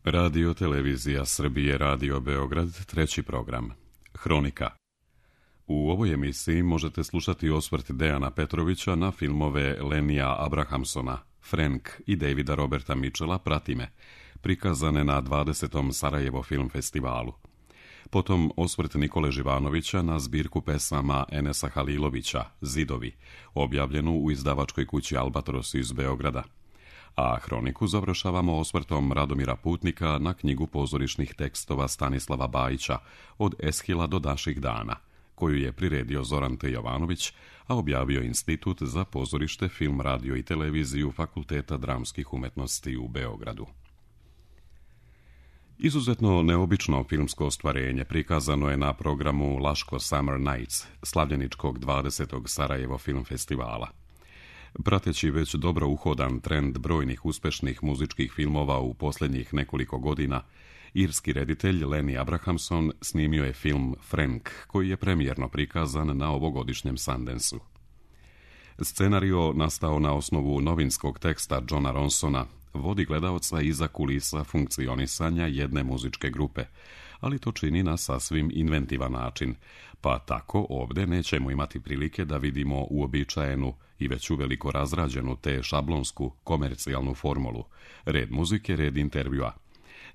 Radio Televizija Srbije, Radio Beograd, treći program. Hronika. U ovoj emisiji možete slušati osvrt Dejana Petrovića na filmove Lenija Abrahamsona, Frank i Davida Roberta Mitchella Prati me, prikazane na 20. Sarajevo film festivalu. Potom osvrt Nikole Živanovića na zbirku pesama Enesa Halilovića, Zidovi, objavljenu u izdavačkoj kući Albatros iz Beograda. A hroniku završavamo osvrtom Radomira Putnika na knjigu pozorišnih tekstova Stanislava Bajića Od Eshila do naših dana, koju je priredio Zoran T. Jovanović, a objavio Institut za pozorište, film, radio i televiziju Fakulteta dramskih umetnosti u Beogradu. Izuzetno neobično filmsko ostvarenje prikazano je na programu Laško Summer Nights, slavljeničkog 20. Sarajevo film festivala. Prateći već dobro uhodan trend brojnih uspešnih muzičkih filmova u posljednjih nekoliko godina, irski reditelj Lenny Abrahamson snimio je film Frank, koji je premijerno prikazan na ovogodišnjem Sundanceu. Scenario, nastao na osnovu novinskog teksta Johna Ronsona, vodi gledaoca iza kulisa funkcionisanja jedne muzičke grupe, ali to čini na sasvim inventivan način, pa tako ovdje nećemo imati prilike da vidimo uobičajenu i već uveliko razrađenu te šablonsku komercijalnu formulu, red muzike, red intervjua,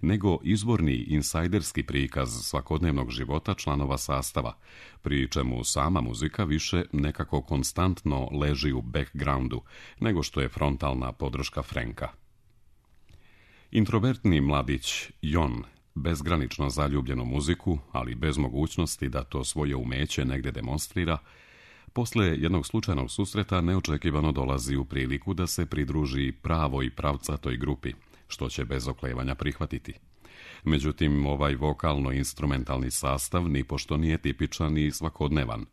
nego izvorni insajderski prikaz svakodnevnog života članova sastava, pri čemu sama muzika više nekako konstantno leži u backgroundu, nego što je frontalna podrška Franka. Introvertni mladić Jon, bezgranično zaljubljen u muziku, ali bez mogućnosti da to svoje umeće negdje demonstrira, posle jednog slučajnog susreta neočekivano dolazi u priliku da se pridruži pravoj pravcatoj grupi, što će bez oklevanja prihvatiti. Međutim, ovaj vokalno-instrumentalni sastav nipošto nije tipičan i svakodnevan.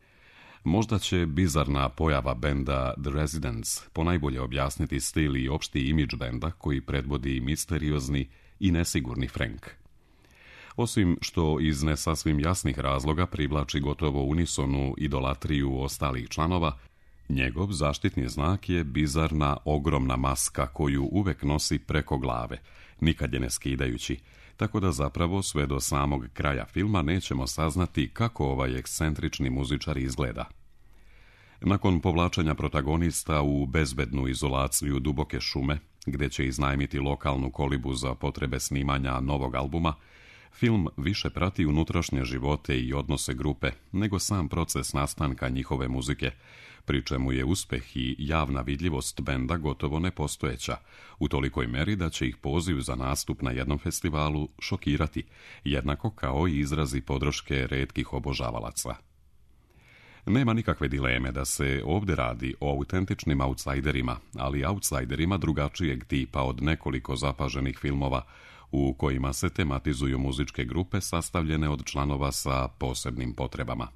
Možda će bizarna pojava benda The Residents ponajbolje objasniti stil i opšti imidž benda koji predvodi misteriozni i nesigurni Frank. Osim što iz nesasvim jasnih razloga privlači gotovo unisonu idolatriju ostalih članova, njegov zaštitni znak je bizarna ogromna maska koju uvek nosi preko glave, nikad je ne skidajući, tako da zapravo sve do samog kraja filma nećemo saznati kako ovaj ekscentrični muzičar izgleda. Nakon povlačenja protagonista u bezbednu izolaciju duboke šume, gdje će iznajmiti lokalnu kolibu za potrebe snimanja novog albuma, film više prati unutrašnje živote i odnose grupe nego sam proces nastanka njihove muzike, pri čemu je uspeh i javna vidljivost benda gotovo nepostojeća, u tolikoj meri da će ih poziv za nastup na jednom festivalu šokirati, jednako kao i izrazi podrške retkih obožavalaca. Nema nikakve dileme da se ovdje radi o autentičnim outsiderima, ali outsiderima drugačijeg tipa od nekoliko zapaženih filmova u kojima se tematizuju muzičke grupe sastavljene od članova sa posebnim potrebama.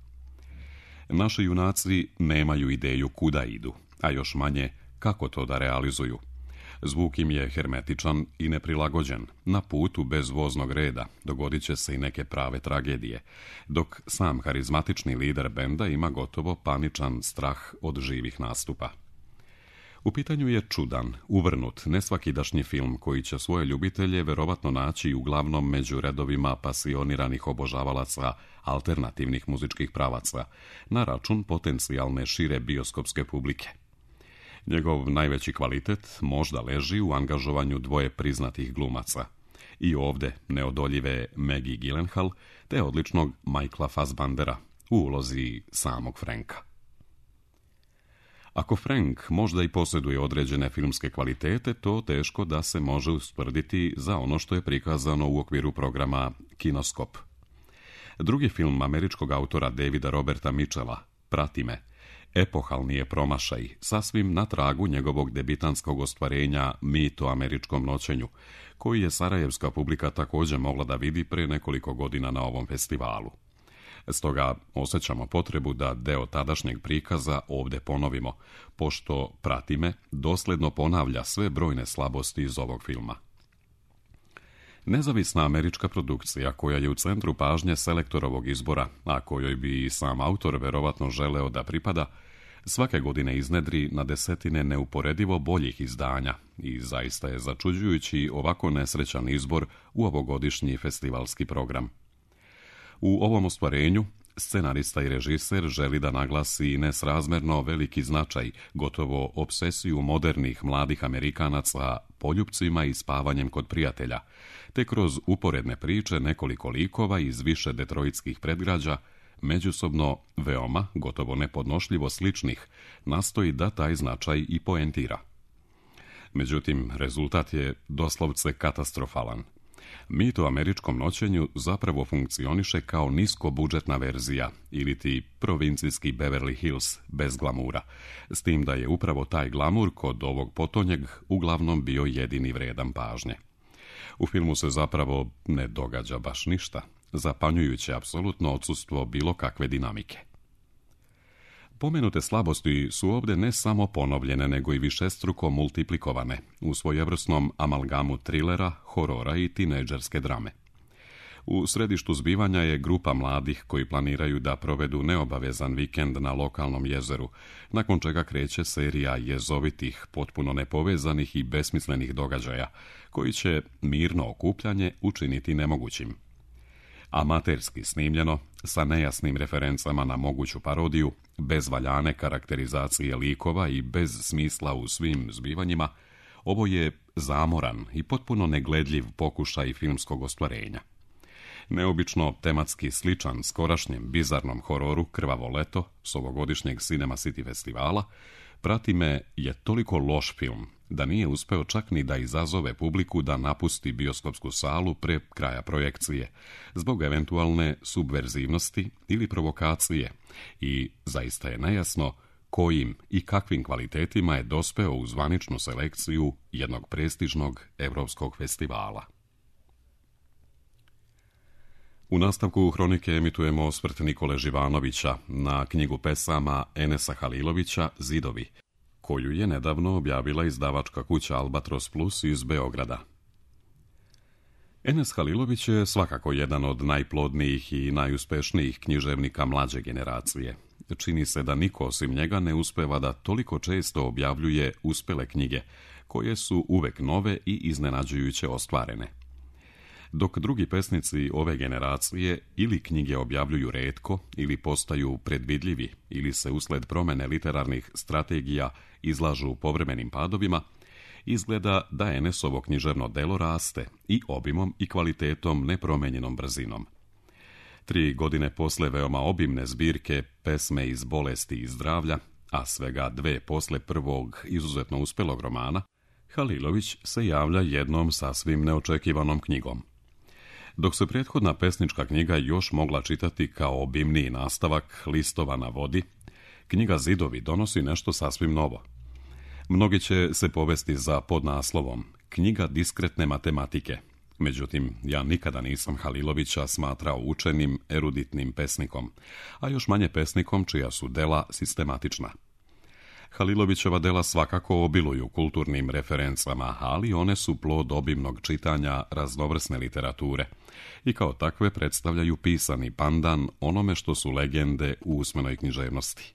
Naši junaci nemaju ideju kuda idu, a još manje kako to da realizuju. Zvuk im je hermetičan i neprilagođen, na putu bez voznog reda dogodit će se i neke prave tragedije, dok sam harizmatični lider benda ima gotovo paničan strah od živih nastupa. U pitanju je čudan, uvrnut, nesvakidašnji film koji će svoje ljubitelje verovatno naći uglavnom među redovima pasioniranih obožavalaca alternativnih muzičkih pravaca, na račun potencijalne šire bioskopske publike. Njegov najveći kvalitet možda leži u angažovanju dvoje priznatih glumaca. I ovdje neodoljive Maggie Gyllenhaal te odličnog Michaela Fassbendera u ulozi samog Franka. Ako Frank možda i posjeduje određene filmske kvalitete, to teško da se može ustvrditi za ono što je prikazano u okviru programa Kinoskop. Drugi film američkog autora Davida Roberta Mitchella, Prati me, epohalni je promašaj, sasvim na tragu njegovog debitanskog ostvarenja Mit o američkom noćenju, koji je sarajevska publika također mogla da vidi pre nekoliko godina na ovom festivalu. Stoga osjećamo potrebu da deo tadašnjeg prikaza ovdje ponovimo, pošto Prati me dosledno ponavlja sve brojne slabosti iz ovog filma. Nezavisna američka produkcija koja je u centru pažnje selektorovog izbora, a kojoj bi i sam autor verovatno želeo da pripada, Svake godine iznedri na desetine neuporedivo boljih izdanja i zaista je začuđujući ovako nesrećan izbor u ovogodišnji festivalski program. U ovom ostvarenju scenarista i režiser želi da naglasi nesrazmerno veliki značaj, gotovo obsesiju modernih mladih Amerikanaca poljupcima i spavanjem kod prijatelja, te kroz uporedne priče nekoliko likova iz više detroitskih predgrađa, međusobno veoma, gotovo nepodnošljivo sličnih, nastoji da taj značaj i poentira. Međutim, rezultat je doslovce katastrofalan. Mit o američkom noćenju zapravo funkcioniše kao niskobudžetna verzija ili ti provincijski Beverly Hills bez glamura, s tim da je upravo taj glamur kod ovog potonjeg uglavnom bio jedini vredan pažnje. U filmu se zapravo ne događa baš ništa, zapanjujuće apsolutno odsustvo bilo kakve dinamike. Pomenute slabosti su ovdje ne samo ponovljene, nego i višestruko multiplikovane u svojevrsnom amalgamu trilera, horora i tinejdžerske drame. U središtu zbivanja je grupa mladih koji planiraju da provedu neobavezan vikend na lokalnom jezeru, nakon čega kreće serija jezovitih, potpuno nepovezanih i besmislenih događaja, koji će mirno okupljanje učiniti nemogućim. Amaterski snimljeno, sa nejasnim referencama na moguću parodiju, bez valjane karakterizacije likova i bez smisla u svim zbivanjima, ovo je zamoran i potpuno negledljiv pokušaj filmskog ostvarenja. Neobično tematski sličan skorašnjem bizarnom hororu Krvavo leto s ovogodišnjeg Cinema City festivala, Prati me je toliko loš film da nije uspeo čak ni da izazove publiku da napusti bioskopsku salu pre kraja projekcije, zbog eventualne subverzivnosti ili provokacije, i zaista je nejasno kojim i kakvim kvalitetima je dospeo u zvaničnu selekciju jednog prestižnog evropskog festivala. U nastavku Hronike emitujemo osvrt Nikole Živanovića na knjigu pesama Enesa Halilovića Zidovi, koju je nedavno objavila izdavačka kuća Albatros Plus iz Beograda. Enes Halilović je svakako jedan od najplodnijih i najuspešnijih književnika mlađe generacije. Čini se da niko osim njega ne uspeva da toliko često objavljuje uspele knjige, koje su uvek nove i iznenađujuće ostvarene. Dok drugi pesnici ove generacije ili knjige objavljuju retko, ili postaju predvidljivi, ili se usled promene literarnih strategija izlažu povremenim padovima, izgleda da Enesovo književno delo raste i obimom i kvalitetom nepromenjenom brzinom. 3 godine posle veoma obimne zbirke Pesme iz bolesti i zdravlja, a svega 2 posle prvog izuzetno uspelog romana, Halilović se javlja jednom sasvim neočekivanom knjigom. Dok se prethodna pesnička knjiga još mogla čitati kao obimniji nastavak Listova na vodi, knjiga Zidovi donosi nešto sasvim novo. Mnogi će se povesti za podnaslovom Knjiga diskretne matematike. Međutim, ja nikada nisam Halilovića smatrao učenim, eruditnim pesnikom, a još manje pesnikom čija su dela sistematična. Halilovićeva dela svakako obiluju kulturnim referencama, ali one su plod obimnog čitanja raznovrsne literature i kao takve predstavljaju pisani pandan onome što su legende u usmenoj književnosti.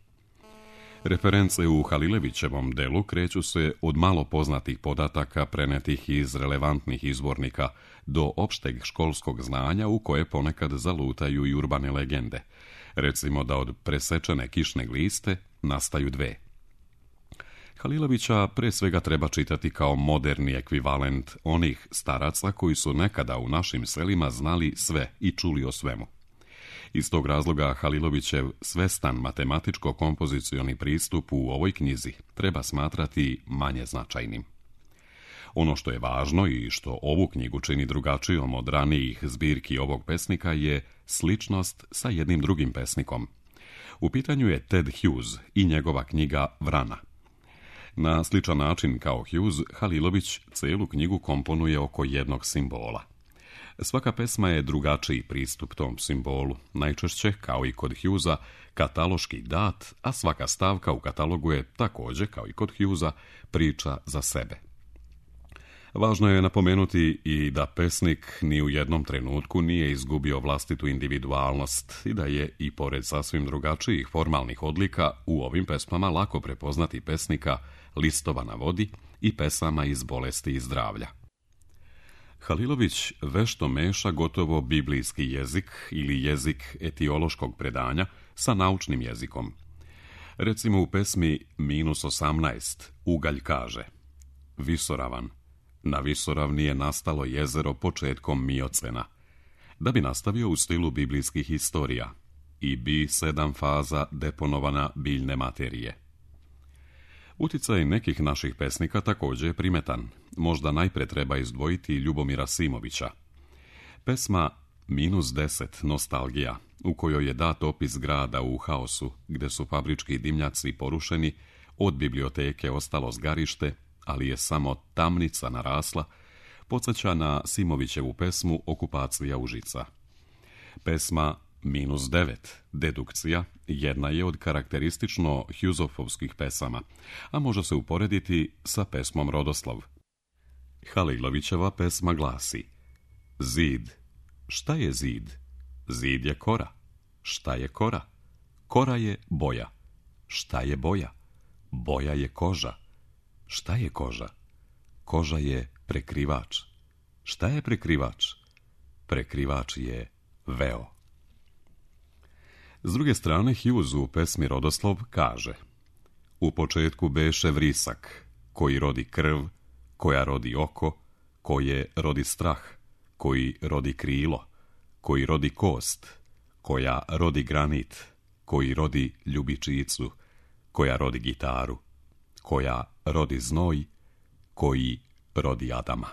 Reference u Halilovićevom delu kreću se od malo poznatih podataka prenetih iz relevantnih izvornika do opšteg školskog znanja u koje ponekad zalutaju i urbane legende. Recimo da od presečene kišne gliste nastaju 2. Halilovića pre svega treba čitati kao moderni ekvivalent onih staraca koji su nekada u našim selima znali sve i čuli o svemu. Iz tog razloga Halilovićev svestan matematičko-kompozicioni pristup u ovoj knjizi treba smatrati manje značajnim. Ono što je važno i što ovu knjigu čini drugačijom od ranijih zbirki ovog pesnika je sličnost sa jednim drugim pesnikom. U pitanju je Ted Hughes i njegova knjiga Vrana. Na sličan način kao Hughes, Halilović celu knjigu komponuje oko jednog simbola. Svaka pesma je drugačiji pristup tom simbolu, najčešće, kao i kod Hughesa, kataloški dat, a svaka stavka u katalogu je također, kao i kod Hughesa, priča za sebe. Važno je napomenuti i da pesnik ni u jednom trenutku nije izgubio vlastitu individualnost i da je i pored sasvim drugačijih formalnih odlika u ovim pesmama lako prepoznati pesnika Listova na vodi i pesama iz Bolesti i zdravlja. Halilović vešto meša gotovo biblijski jezik ili jezik etiološkog predanja sa naučnim jezikom. Recimo u pesmi -18 Ugalj kaže: Visoravan, na visoravni je nastalo jezero početkom Miocena, da bi nastavio u stilu biblijskih historija i bi 7 faza deponovana biljne materije. Uticaj nekih naših pesnika također je primetan. Možda najpre treba izdvojiti Ljubomira Simovića. Pesma -10 Nostalgija, u kojoj je dat opis grada u haosu, gde su fabrički dimnjaci porušeni, od biblioteke ostalo zgarište, ali je samo tamnica narasla, podsjeća na Simovićevu pesmu Okupacija Užica. Pesma -9 Dedukcija jedna je od karakteristično Hjuzofovskih pesama, a može se uporediti sa pesmom Rodoslav. Halilovićeva pesma glasi: Zid. Šta je zid? Zid je kora. Šta je kora? Kora je boja. Šta je boja? Boja je koža. Šta je koža? Koža je prekrivač. Šta je prekrivač? Prekrivač je veo. S druge strane, Hughes u pesmi Rodoslov kaže: U početku beše vrisak, koji rodi krv, koja rodi oko, koje rodi strah, koji rodi krilo, koji rodi kost, koja rodi granit, koji rodi ljubičicu, koja rodi gitaru, koja rodi znoj, koji rodi Adama.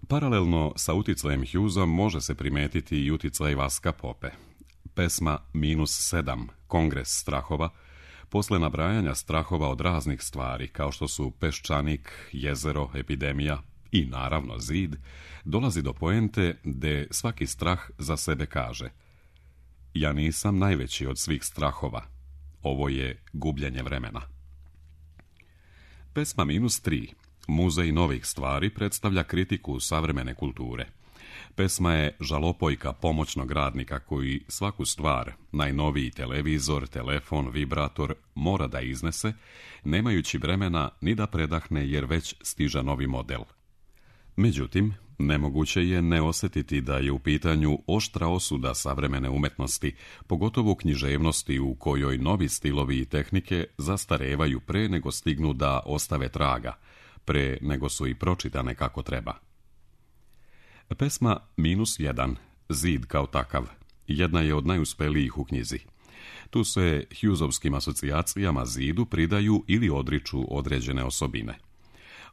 Paralelno sa uticajem Hughesa može se primetiti i uticaj Vaska Pope. Pesma -7 Kongres strahova, posle nabrajanja strahova od raznih stvari, kao što su peščanik, jezero, epidemija i naravno zid, dolazi do poente gde svaki strah za sebe kaže: Ja nisam najveći od svih strahova, ovo je gubljenje vremena. Pesma -3 Muzej novih stvari predstavlja kritiku savremene kulture. Pesma je žalopojka pomoćnog radnika koji svaku stvar, najnoviji televizor, telefon, vibrator, mora da iznese, nemajući vremena ni da predahne jer već stiže novi model. Međutim, nemoguće je ne osjetiti da je u pitanju oštra osuda savremene umetnosti, pogotovo književnosti u kojoj novi stilovi i tehnike zastarevaju pre nego stignu da ostave traga, pre nego su i pročitane kako treba. Pesma -1 Zid kao takav jedna je od najuspelijih u knjizi. Tu se Hughesovskim asocijacijama zidu pridaju ili odriču određene osobine.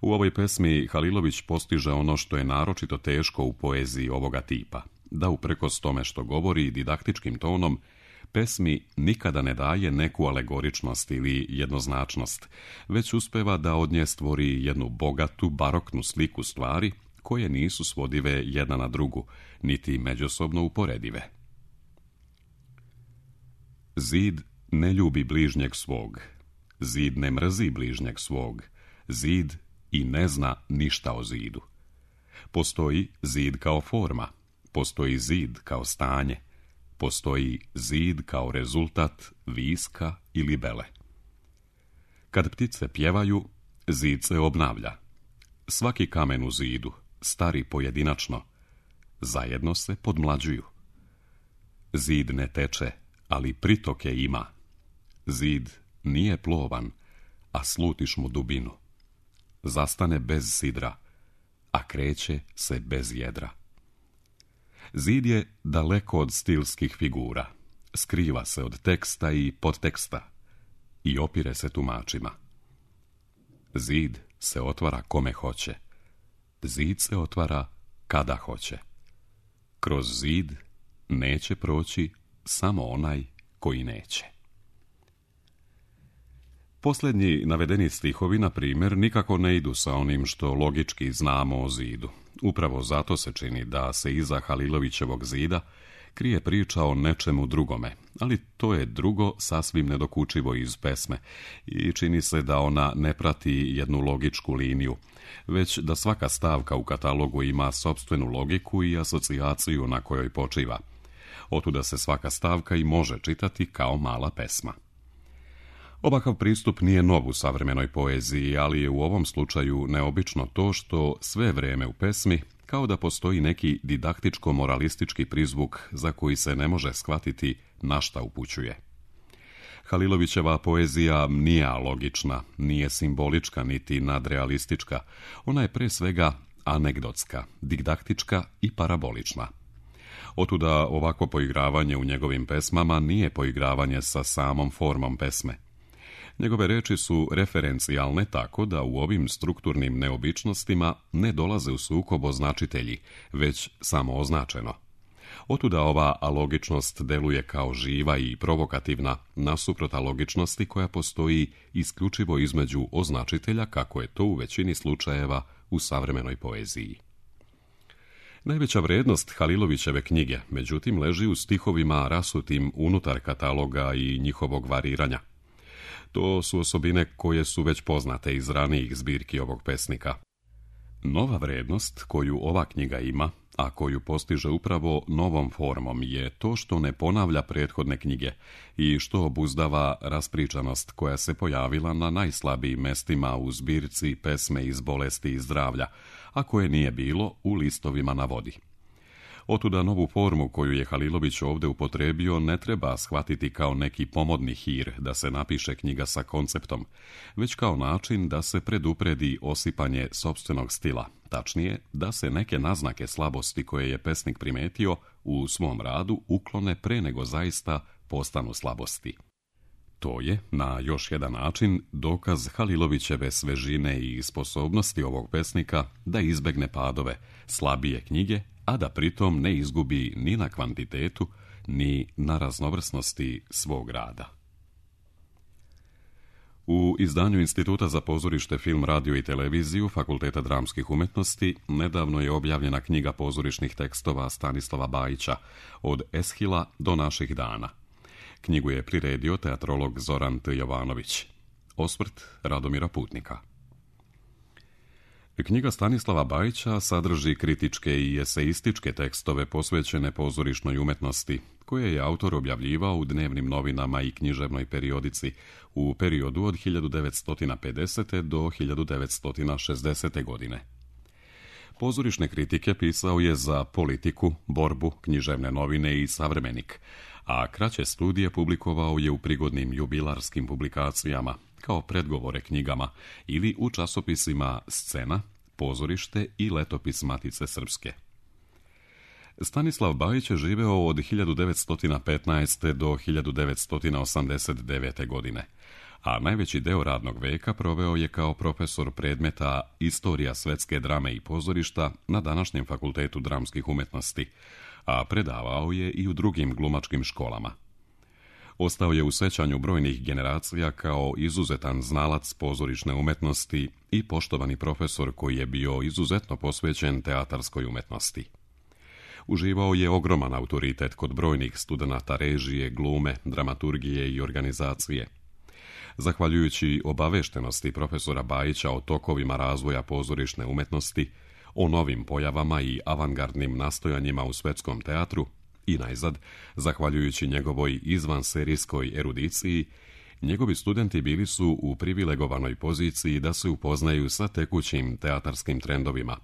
U ovoj pesmi Halilović postiže ono što je naročito teško u poeziji ovoga tipa, da uprkos tome što govori didaktičkim tonom, pesmi nikada ne daje neku alegoričnost ili jednoznačnost, već uspeva da od nje stvori jednu bogatu, baroknu sliku stvari koje nisu svodive jedna na drugu, niti međusobno uporedive. Zid ne ljubi bližnjeg svog, zid ne mrzi bližnjeg svog, zid i ne zna ništa o zidu. Postoji zid kao forma, postoji zid kao stanje, postoji zid kao rezultat viska ili bele. Kad ptice pjevaju, zid se obnavlja. Svaki kamen u zidu, stari pojedinačno, zajedno se podmlađuju. Zid ne teče, ali pritoke ima. Zid nije plovan, a slutiš mu dubinu. Zastane bez sidra, a kreće se bez jedra. Zid je daleko od stilskih figura, skriva se od teksta i podteksta i opire se tumačima. Zid se otvara kome hoće, zid se otvara kada hoće. Kroz zid neće proći samo onaj koji neće. Posljednji navedeni stihovi, na primjer, nikako ne idu sa onim što logički znamo o zidu. Upravo zato se čini da se iza Halilovićevog zida krije priča o nečemu drugome, ali to je drugo sasvim nedokučivo iz pesme i čini se da ona ne prati jednu logičku liniju, već da svaka stavka u katalogu ima sopstvenu logiku i asocijaciju na kojoj počiva. Otuda se svaka stavka i može čitati kao mala pesma. Ovakav pristup nije nov u savremenoj poeziji, ali je u ovom slučaju neobično to što sve vrijeme u pesmi kao da postoji neki didaktičko-moralistički prizvuk za koji se ne može shvatiti na šta upućuje. Halilovićeva poezija nije alogična, nije simbolička niti nadrealistička, ona je pre svega anegdotska, didaktička i parabolična. Otuda ovakvo poigravanje u njegovim pesmama nije poigravanje sa samom formom pesme. Njegove reči su referencijalne tako da u ovim strukturnim neobičnostima ne dolaze u sukob označitelji, već samo označeno. Otuda ova alogičnost deluje kao živa i provokativna nasuprot alogičnosti koja postoji isključivo između označitelja, kako je to u većini slučajeva u savremenoj poeziji. Najveća vrednost Halilovićeve knjige, međutim, leži u stihovima rasutim unutar kataloga i njihovog variranja. To su osobine koje su već poznate iz ranijih zbirki ovog pesnika. Nova vrednost koju ova knjiga ima, a koju postiže upravo novom formom, je to što ne ponavlja prethodne knjige i što obuzdava raspričanost koja se pojavila na najslabijim mestima u zbirci pesme iz bolesti i zdravlja, a koje nije bilo u listovima na vodi. Otuda novu formu koju je Halilović ovdje upotrebio ne treba shvatiti kao neki pomodni hir da se napiše knjiga sa konceptom, već kao način da se predupredi osipanje sopstvenog stila, tačnije da se neke naznake slabosti koje je pesnik primetio u svom radu uklone pre nego zaista postanu slabosti. To je, na još jedan način, dokaz Halilovićeve svežine i sposobnosti ovog pesnika da izbegne padove, slabije knjige, a da pritom ne izgubi ni na kvantitetu, ni na raznovrsnosti svog rada. U izdanju Instituta za pozorište, film, radio i televiziju Fakulteta dramskih umetnosti nedavno je objavljena knjiga pozorišnih tekstova Stanislava Bajića Od Eshila do naših dana. Knjigu je priredio teatrolog Zoran T. Jovanović. Osvrt Radomira Putnika. Knjiga Stanislava Bajića sadrži kritičke i eseističke tekstove posvećene pozorišnoj umetnosti, koje je autor objavljivao u dnevnim novinama i književnoj periodici u periodu od 1950. do 1960. godine. Pozorišne kritike pisao je za Politiku, Borbu, književne novine i Savremenik, a kraće studije publikovao je u prigodnim jubilarskim publikacijama, kao predgovore knjigama ili u časopisima Scena, Pozorište i Letopis Matice Srpske. Stanislav Bajić je živeo od 1915. do 1989. godine, a najveći deo radnog veka proveo je kao profesor predmeta Istorija svetske drame i pozorišta na današnjem Fakultetu dramskih umetnosti, a predavao je i u drugim glumačkim školama. Ostao je u sećanju brojnih generacija kao izuzetan znalac pozorišne umetnosti i poštovani profesor koji je bio izuzetno posvećen teatarskoj umetnosti. Uživao je ogroman autoritet kod brojnih studenata režije, glume, dramaturgije i organizacije. Zahvaljujući obaveštenosti profesora Bajića o tokovima razvoja pozorišne umetnosti, o novim pojavama i avangardnim nastojanjima u svetskom teatru, i najzad, zahvaljujući njegovoj izvanserijskoj erudiciji, njegovi studenti bili su u privilegovanoj poziciji da se upoznaju sa tekućim teatarskim trendovima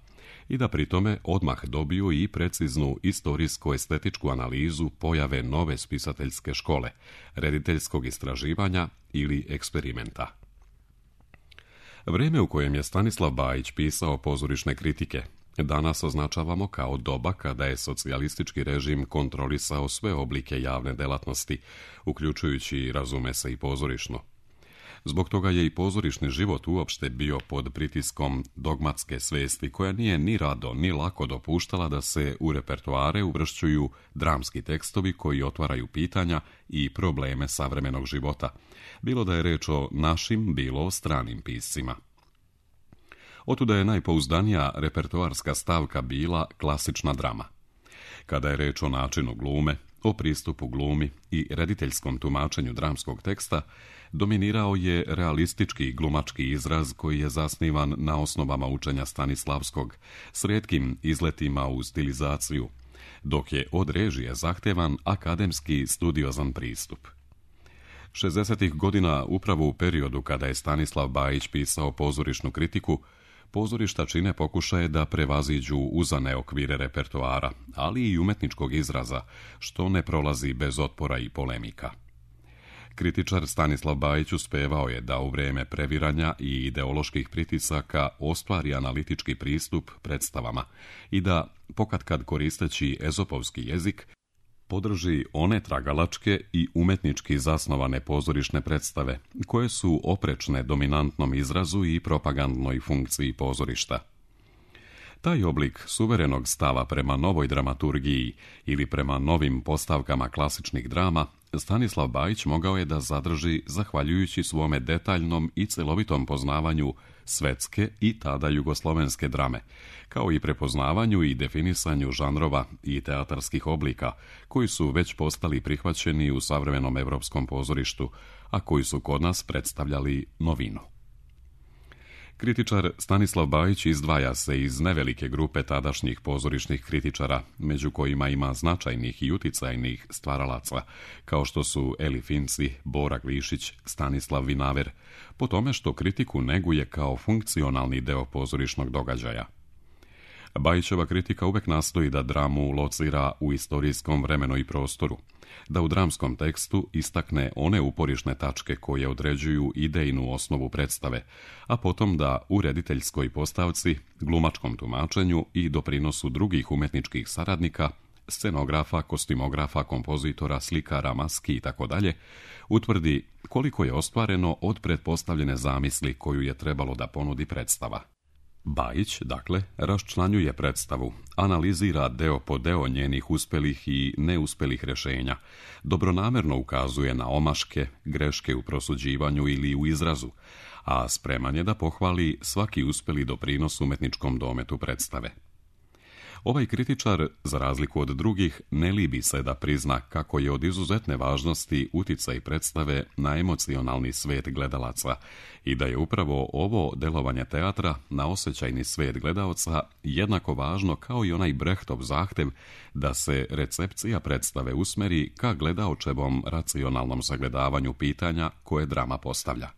i da pritome odmah dobiju i preciznu istorijsko-estetičku analizu pojave nove spisateljske škole, rediteljskog istraživanja ili eksperimenta. Vrijeme u kojem je Stanislav Bajić pisao pozorišne kritike danas označavamo kao doba kada je socijalistički režim kontrolisao sve oblike javne delatnosti, uključujući, razume se, i pozorišno. Zbog toga je i pozorišni život uopšte bio pod pritiskom dogmatske svesti koja nije ni rado ni lako dopuštala da se u repertoare uvršćuju dramski tekstovi koji otvaraju pitanja i probleme savremenog života, bilo da je reč o našim, bilo o stranim piscima. Otuda je najpouzdanija repertoarska stavka bila klasična drama. Kada je reč o načinu glume, o pristupu glumi i rediteljskom tumačenju dramskog teksta, dominirao je realistički glumački izraz koji je zasnivan na osnovama učenja Stanislavskog, s rijetkim izletima u stilizaciju, dok je od režije zahtevan akademski studiozan pristup. 60. godina, upravo u periodu kada je Stanislav Bajić pisao pozorišnu kritiku, pozorišta čine pokušaje da prevaziđu uzane okvire repertoara, ali i umetničkog izraza, što ne prolazi bez otpora i polemika. Kritičar Stanislav Bajić uspevao je da u vrijeme previranja i ideoloških pritisaka ostvari analitički pristup predstavama i da, pokatkad koristeći ezopovski jezik, podrži one tragalačke i umetnički zasnovane pozorišne predstave, koje su oprečne dominantnom izrazu i propagandnoj funkciji pozorišta. Taj oblik suverenog stava prema novoj dramaturgiji ili prema novim postavkama klasičnih drama Stanislav Bajić mogao je da zadrži zahvaljujući svome detaljnom i celovitom poznavanju svetske i tada jugoslovenske drame, kao i prepoznavanju i definisanju žanrova i teatarskih oblika, koji su već postali prihvaćeni u savremenom evropskom pozorištu, a koji su kod nas predstavljali novinu. Kritičar Stanislav Bajić izdvaja se iz nevelike grupe tadašnjih pozorišnih kritičara, među kojima ima značajnih i uticajnih stvaralaca, kao što su Eli Finci, Bora Glišić, Stanislav Vinaver, po tome što kritiku neguje kao funkcionalni deo pozorišnog događaja. Bajićeva kritika uvek nastoji da dramu locira u istorijskom vremenu i prostoru, da u dramskom tekstu istakne one uporišne tačke koje određuju idejnu osnovu predstave, a potom da u rediteljskoj postavci, glumačkom tumačenju i doprinosu drugih umetničkih saradnika, scenografa, kostimografa, kompozitora, slikara, maski itd., utvrdi koliko je ostvareno od pretpostavljene zamisli koju je trebalo da ponudi predstava. Bajić, dakle, raščlanjuje predstavu, analizira deo po deo njenih uspelih i neuspelih rješenja, dobronamerno ukazuje na omaške, greške u prosuđivanju ili u izrazu, a spreman je da pohvali svaki uspeli doprinos umetničkom dometu predstave. Ovaj kritičar, za razliku od drugih, ne libi se da prizna kako je od izuzetne važnosti uticaj predstave na emocionalni svet gledalaca i da je upravo ovo delovanje teatra na osjećajni svet gledaoca jednako važno kao i onaj Brechtov zahtev da se recepcija predstave usmeri ka gledaočevom racionalnom sagledavanju pitanja koje drama postavlja.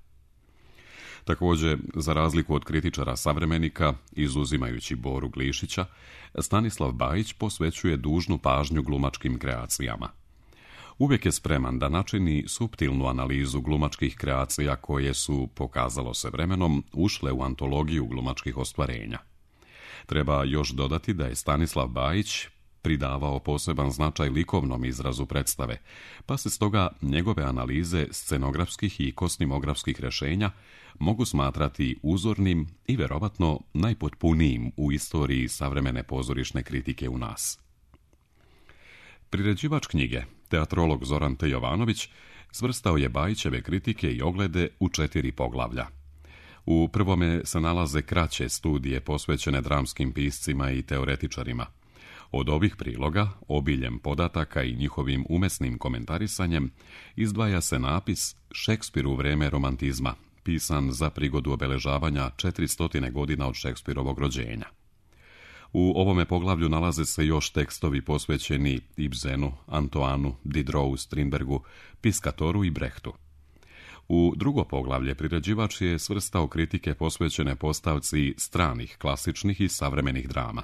Također, za razliku od kritičara savremenika, izuzimajući Boru Glišića, Stanislav Bajić posvećuje dužnu pažnju glumačkim kreacijama. Uvijek je spreman da načini suptilnu analizu glumačkih kreacija koje su, pokazalo se vremenom, ušle u antologiju glumačkih ostvarenja. Treba još dodati da je Stanislav Bajić pridavao poseban značaj likovnom izrazu predstave, pa se stoga njegove analize scenografskih i kostimografskih rješenja mogu smatrati uzornim i verovatno najpotpunijim u istoriji savremene pozorišne kritike u nas. Priređivač knjige, teatrolog Zoran T. Jovanović, svrstao je Bajićeve kritike i oglede u 4 poglavlja. U prvome se nalaze kraće studije posvećene dramskim piscima i teoretičarima. Od ovih priloga, obiljem podataka i njihovim umesnim komentarisanjem, izdvaja se napis Šekspir u vreme romantizma, pisan za prigodu obeležavanja 400 godina od Šekspirovog rođenja. U ovome poglavlju nalaze se još tekstovi posvećeni Ibsenu, Antoanu, Diderou, Strindbergu, Piscatoru i Brechtu. U drugo poglavlje priređivač je svrstao kritike posvećene postavci stranih, klasičnih i savremenih drama.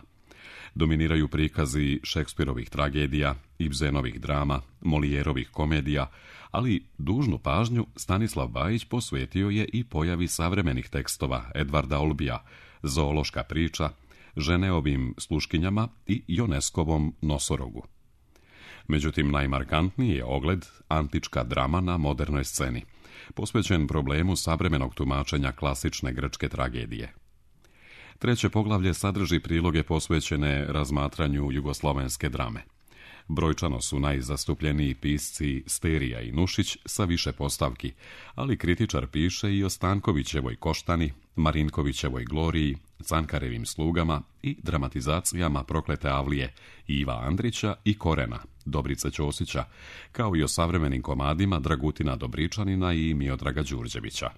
Dominiraju prikazi Šekspirovih tragedija, Ibsenovih drama, Molijerovih komedija, ali dužnu pažnju Stanislav Bajić posvetio je i pojavi savremenih tekstova Edvarda Olbija, Zoološka priča, Ženeovim sluškinjama i Ioneskovom Nosorogu. Međutim, najmarkantniji je ogled antička drama na modernoj sceni, posvećen problemu savremenog tumačenja klasične grčke tragedije. Treće poglavlje sadrži priloge posvećene razmatranju jugoslovenske drame. Brojčano su najzastupljeniji pisci Sterija i Nušić sa više postavki, ali kritičar piše i o Stankovićevoj Koštani, Marinkovićevoj Gloriji, Cankarevim slugama i dramatizacijama Proklete Avlije, Iva Andrića i Korena, Dobrice Ćosića, kao i o savremenim komadima Dragutina Dobričanina i Miodraga Đurđevića.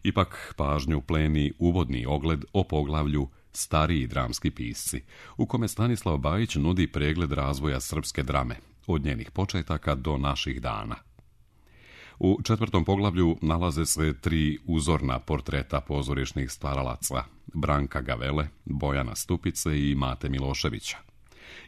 Ipak pažnju pleni uvodni ogled o poglavlju Stariji dramski pisci, u kome Stanislav Bajić nudi pregled razvoja srpske drame, od njenih početaka do naših dana. U 4. poglavlju nalaze se 3 uzorna portreta pozorišnih stvaralaca, Branka Gavele, Bojana Stupice i Mate Miloševića.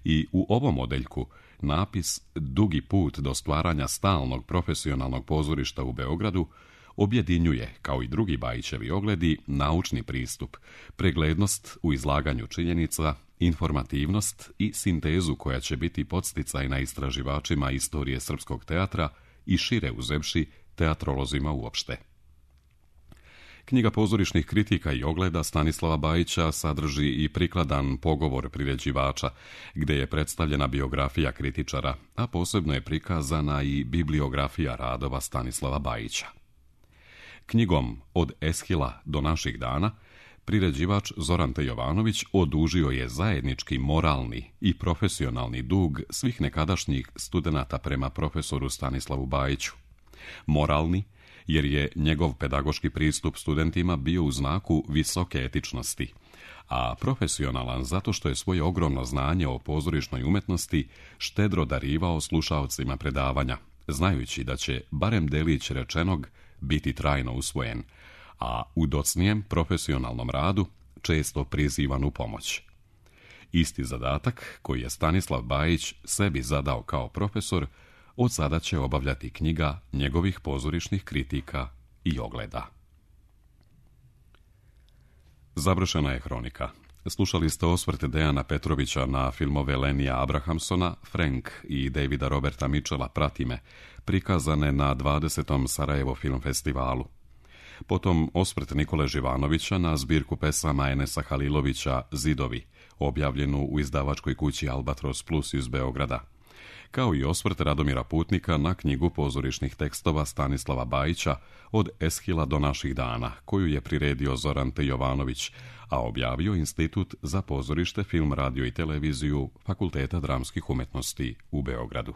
I u ovom odeljku napis Dugi put do stvaranja stalnog profesionalnog pozorišta u Beogradu objedinjuje, kao i drugi Bajićevi ogledi, naučni pristup, preglednost u izlaganju činjenica, informativnost i sintezu koja će biti podsticajna istraživačima istorije srpskog teatra i šire uzevši teatrolozima uopšte. Knjiga pozorišnih kritika i ogleda Stanislava Bajića sadrži i prikladan pogovor priređivača, gde je predstavljena biografija kritičara, a posebno je prikazana i bibliografija radova Stanislava Bajića. Knjigom Od Eshila do naših dana priređivač Zoran T. Jovanović odužio je zajednički moralni i profesionalni dug svih nekadašnjih studenata prema profesoru Stanislavu Bajiću. Moralni, jer je njegov pedagoški pristup studentima bio u znaku visoke etičnosti, a profesionalan zato što je svoje ogromno znanje o pozorišnoj umetnosti štedro darivao slušaocima predavanja, znajući da će barem delić rečenog biti trajno usvojen, a u docnijem profesionalnom radu često prizivan u pomoć. Isti zadatak koji je Stanislav Bajić sebi zadao kao profesor, od sada će obavljati knjiga njegovih pozorišnih kritika i ogleda. Završena je hronika. Slušali ste osvrt Dejana Petrovića na filmove Lenija Abrahamsona, Frank i Davida Roberta Mitchella Prati me, prikazane na 20. Sarajevo film festivalu. Potom osvrt Nikole Živanovića na zbirku pesama Enesa Halilovića Zidovi, objavljenu u izdavačkoj kući Albatros Plus iz Beograda. Kao i osvrt Radomira Putnika na knjigu pozorišnih tekstova Stanislava Bajića Od Eshila do naših dana, koju je priredio Zoran T. Jovanović, a objavio Institut za pozorište, film, radio i televiziju Fakulteta dramskih umetnosti u Beogradu.